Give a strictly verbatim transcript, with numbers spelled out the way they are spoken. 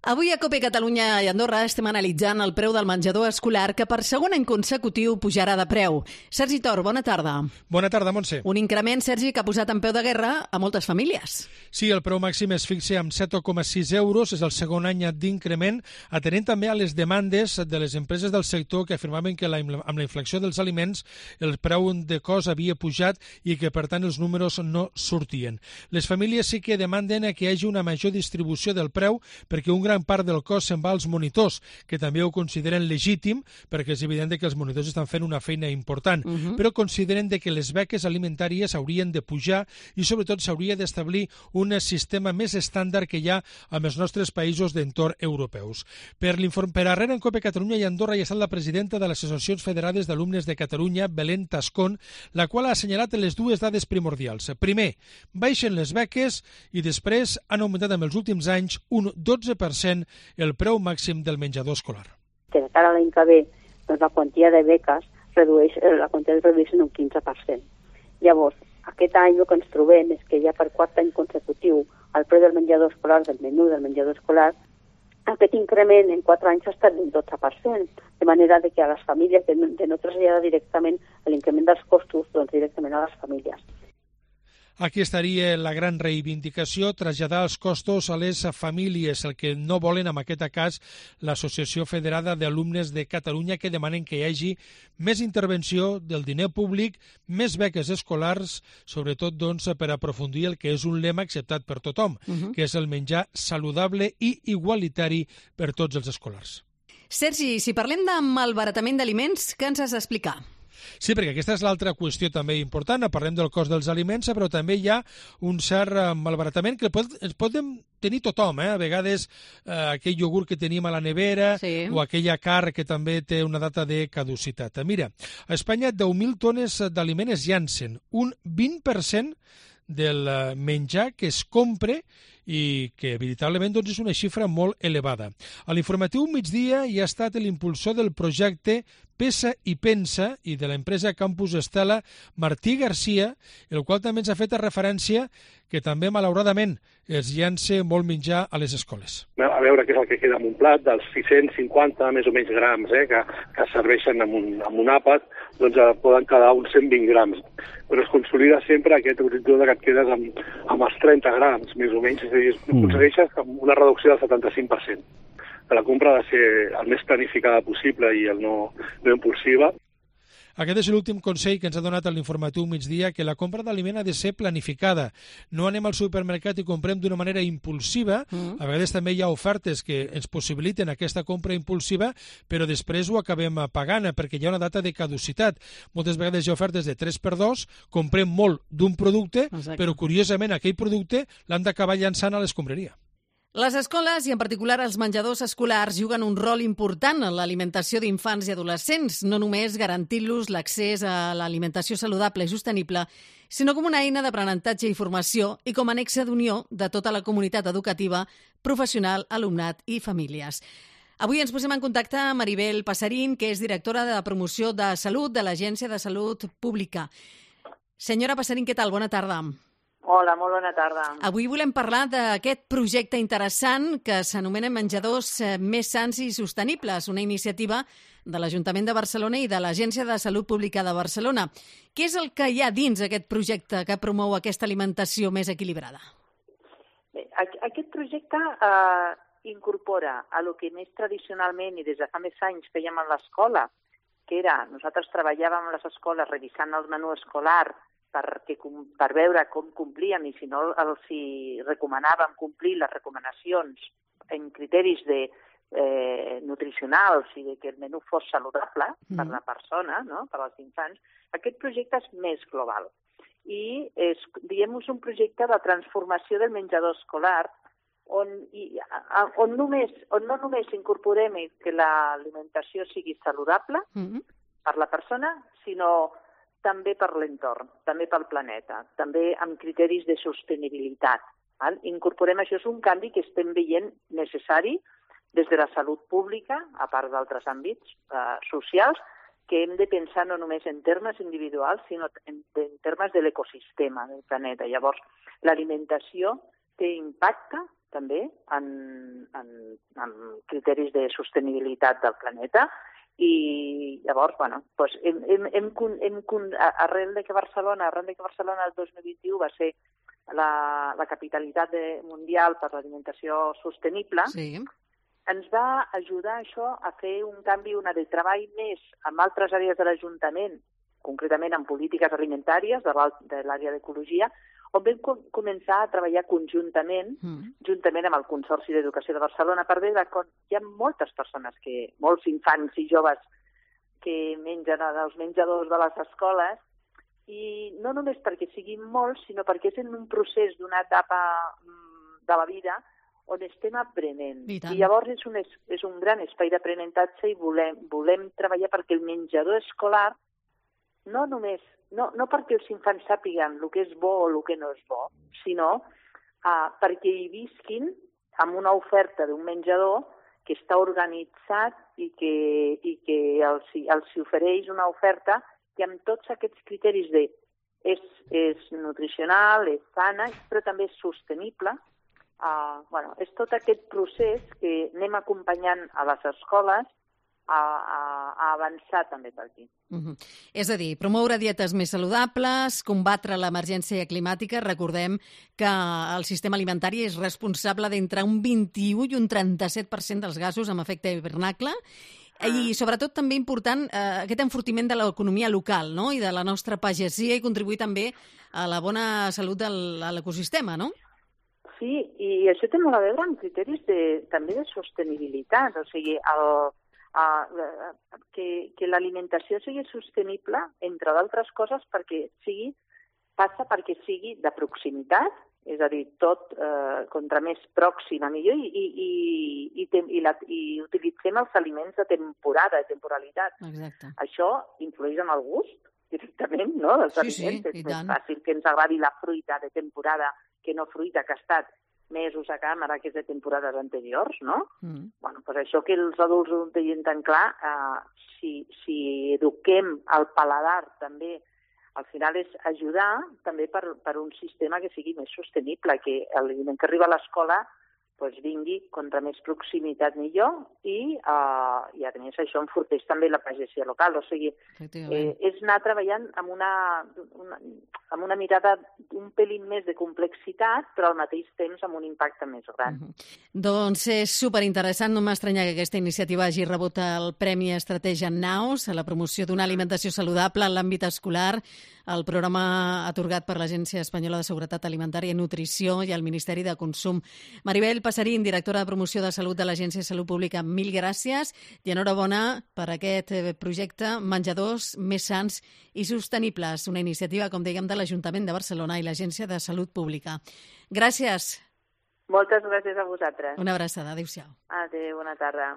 Avui a COPE Catalunya i Andorra estem analitzant el preu del menjador escolar que per segon any consecutiu pujarà de preu. Sergi Tor, bona tarda. Bona tarda, Montse. Un increment, Sergi, que ha posat en peu de guerra a moltes famílies. Sí, el preu màxim es fixa amb set coma sis euros, és el segon any d'increment, atenent també a les demandes de les empreses del sector que afirmaven que la, amb la inflació dels aliments el preu de cost havia pujat i que, per tant, els números no sortien. Les famílies sí que demanden que hi hagi una major distribució del preu perquè un gran part del cost se'n va als monitors, que també ho consideren legítim, perquè és evident que els monitors estan fent una feina important, uh-huh. però consideren que les beques alimentàries haurien de pujar i sobretot s'hauria d'establir un sistema més estàndard que hi ha amb els nostres països d'entorn europeus. Per, per arrere en COPE Catalunya i Andorra hi ha estat la presidenta de les Associacions Federades d'Alumnes de Catalunya, Belén Tascón, la qual ha assenyalat les dues dades primordials. Primer, baixen les beques i després han augmentat en els últims anys un dotze per cent el preu màxim del menjador escolar. Que de cara a l'any que ve, doncs la quantia de beques redueix, la quantia es redueix en un quinze per cent. Llavors, aquest any el que ens trobem és que ja per quart any consecutiu el preu del menjador escolar, del menú del menjador escolar, aquest increment en quatre anys ha estat d'un dotze per cent, de manera que a les famílies de no, de no traslladar directament l'increment dels costos doncs directament a les famílies. Aquí estaria la gran reivindicació, traslladar els costos a les famílies, el que no volen en aquest cas l'Associació Federada d'Alumnes de Catalunya, que demanen que hi hagi més intervenció del diner públic, més beques escolars, sobretot doncs, per aprofundir el que és un lema acceptat per tothom, uh-huh. que és el menjar saludable i igualitari per tots els escolars. Sergi, si parlem de malbaratament d'aliments, què ens has d'explicar? Sí, perquè aquesta és l'altra qüestió també important. Parlem del cost dels aliments, però també hi ha un cert malbaratament que pot, ens podem tenir tothom. Eh? A vegades eh, aquell iogurt que tenim a la nevera sí. o aquella carn que també té una data de caducitat. Mira, a Espanya deu mil tones d'aliment es llancen, un vint per cent del menjar que es compra i que veritablement doncs, és una xifra molt elevada. A l'informatiu migdia hi ha estat l'impulsor del projecte Pesa i Pensa i de l'empresa Campus Estela, Martí Garcia, el qual també ens ha fet referència que també, malauradament, es llança molt menjar a les escoles. A veure què és el que queda en un plat, dels sis-cents cinquanta més o menys grams eh, que, que serveixen amb un, amb un àpat, doncs eh, poden quedar uns cent vint grams. Però es consolida sempre aquest horitzó que et quedes amb, amb els trenta grams, més o menys, és a dir, mm. aconsegueixes una reducció del setanta-cinc per cent. La compra ha de ser el més planificada possible i el no, no impulsiva. Aquest és l'últim consell que ens ha donat a l'informatiu migdia, que la compra d'aliment ha de ser planificada. No anem al supermercat i comprem d'una manera impulsiva. Mm. A vegades també hi ha ofertes que ens possibiliten aquesta compra impulsiva, però després ho acabem pagant perquè hi ha una data de caducitat. Moltes vegades hi ha ofertes de tres per dos, comprem molt d'un producte, exacte. Però curiosament aquell producte l'han d'acabar llançant a l'escombraria. Les escoles, i en particular els menjadors escolars, juguen un rol important en l'alimentació d'infants i adolescents, no només garantint-los l'accés a l'alimentació saludable i sostenible, sinó com una eina d'aprenentatge i formació i com a nexe d'unió de tota la comunitat educativa, professional, alumnat i famílies. Avui ens posem en contacte amb Maribel Passarín, que és directora de promoció de salut de l'Agència de Salut Pública. Senyora Passarín, què tal? Bona tarda. Hola, molt bona tarda. Avui volem parlar d'aquest projecte interessant que s'anomena Menjadors més sants i sostenibles, una iniciativa de l'Ajuntament de Barcelona i de l'Agència de Salut Pública de Barcelona. Què és el que hi ha dins aquest projecte que promou aquesta alimentació més equilibrada? Bé, aquest projecte eh, incorpora a lo que més tradicionalment i des de fa més anys fèiem a l'escola, que era, nosaltres treballàvem a les escoles revisant el menú escolar perquè, per veure com complíem i si no els hi recomanàvem complir les recomanacions en criteris de, eh, nutricionals i de que el menú fos saludable mm. per la persona, no? Per als infants. Aquest projecte és més global i és, diguem, un projecte de transformació del menjador escolar on, i, on, només, on no només incorporem que l'alimentació sigui saludable mm. per la persona, sinó també per l'entorn, també pel planeta, també amb criteris de sostenibilitat. Val? Incorporem això, és un canvi que estem veient necessari des de la salut pública, a part d'altres àmbits eh, socials, que hem de pensar no només en termes individuals, sinó en, en termes de l'ecosistema del planeta. Llavors, l'alimentació té impacte també, en, en, en criteris de sostenibilitat del planeta. I llavors, bueno, doncs hem, hem, hem, hem, arrel de que Barcelona, arrel de que Barcelona el dos mil vint-i-u va ser la, la capitalitat de, mundial per l'alimentació sostenible, sí. Ens va ajudar això a fer un canvi, una de treball més amb altres àrees de l'Ajuntament, concretament en polítiques alimentàries de l'àrea d'ecologia, on vam començar a treballar conjuntament, mm. juntament amb el Consorci d'Educació de Barcelona, per veure que hi ha moltes persones, que, molts infants i joves que mengen als menjadors de les escoles, i no només perquè siguin molts, sinó perquè és en un procés d'una etapa de la vida on estem aprenent. I, I llavors és un, és un gran espai d'aprenentatge i volem, volem treballar perquè el menjador escolar no només No, no perquè els infants sàpiguen el que és bo o el que no és bo, sinó uh, perquè hi visquin amb una oferta d'un menjador que està organitzat i que, i que els, els ofereix una oferta que amb tots aquests criteris de és, és nutricional, és sana, però també és sostenible. Uh, bueno, és tot aquest procés que anem acompanyant a les escoles A, a, a avançar també per aquí. Uh-huh. És a dir, promoure dietes més saludables, combatre l'emergència climàtica. Recordem que el sistema alimentari és responsable d'entre un vint-i-u i un trenta-set per cent dels gasos amb efecte hivernacle. Ah. I sobretot també important eh, aquest enfortiment de l'economia local, no? I de la nostra pagesia, i contribuir també a la bona salut de l'ecosistema, no? Sí, i això té molt a veure amb criteris de, també de sostenibilitat. O sigui, el Uh, que, que l'alimentació sigui sostenible, entre d'altres coses, perquè sigui, passa perquè sigui de proximitat, és a dir, tot eh, contra més pròxima millor, i, i, i, i, i, la, i utilitzem els aliments de temporada, de temporalitat. Exacte. Això influeix en el gust directament, no?, dels sí, aliments. Sí, és més fàcil que ens agradi la fruita de temporada que no fruita que ha estat mesos a càmera, que és de temporades anteriors, no? Mm. Bueno, doncs això que els adults ho tenen tan clar, eh, si, si eduquem el paladar també, al final és ajudar també per, per un sistema que sigui més sostenible, que l'aliment que arriba a l'escola doncs vingui contra més proximitat millor i, uh, i a més això enforteix també la pagesia local. O sigui, eh, és anar treballant amb una, una, amb una mirada un pelín més de complexitat, però al mateix temps amb un impacte més gran. Uh-huh. Doncs és superinteressant. No m'estranya que aquesta iniciativa hagi rebut el Premi Estratègia Naus a la promoció d'una alimentació saludable en l'àmbit escolar, el programa atorgat per l'Agència Espanyola de Seguretat Alimentària i Nutrició i el Ministeri de Consum. Maribel Passarín, directora de Promoció de Salut de l'Agència de Salut Pública, mil gràcies i enhorabona per aquest projecte Menjadors més sants i sostenibles, una iniciativa, com dèiem, de l'Ajuntament de Barcelona i l'Agència de Salut Pública. Gràcies. Moltes gràcies a vosaltres. Una abraçada. Adéu-siau. Adéu, bona tarda.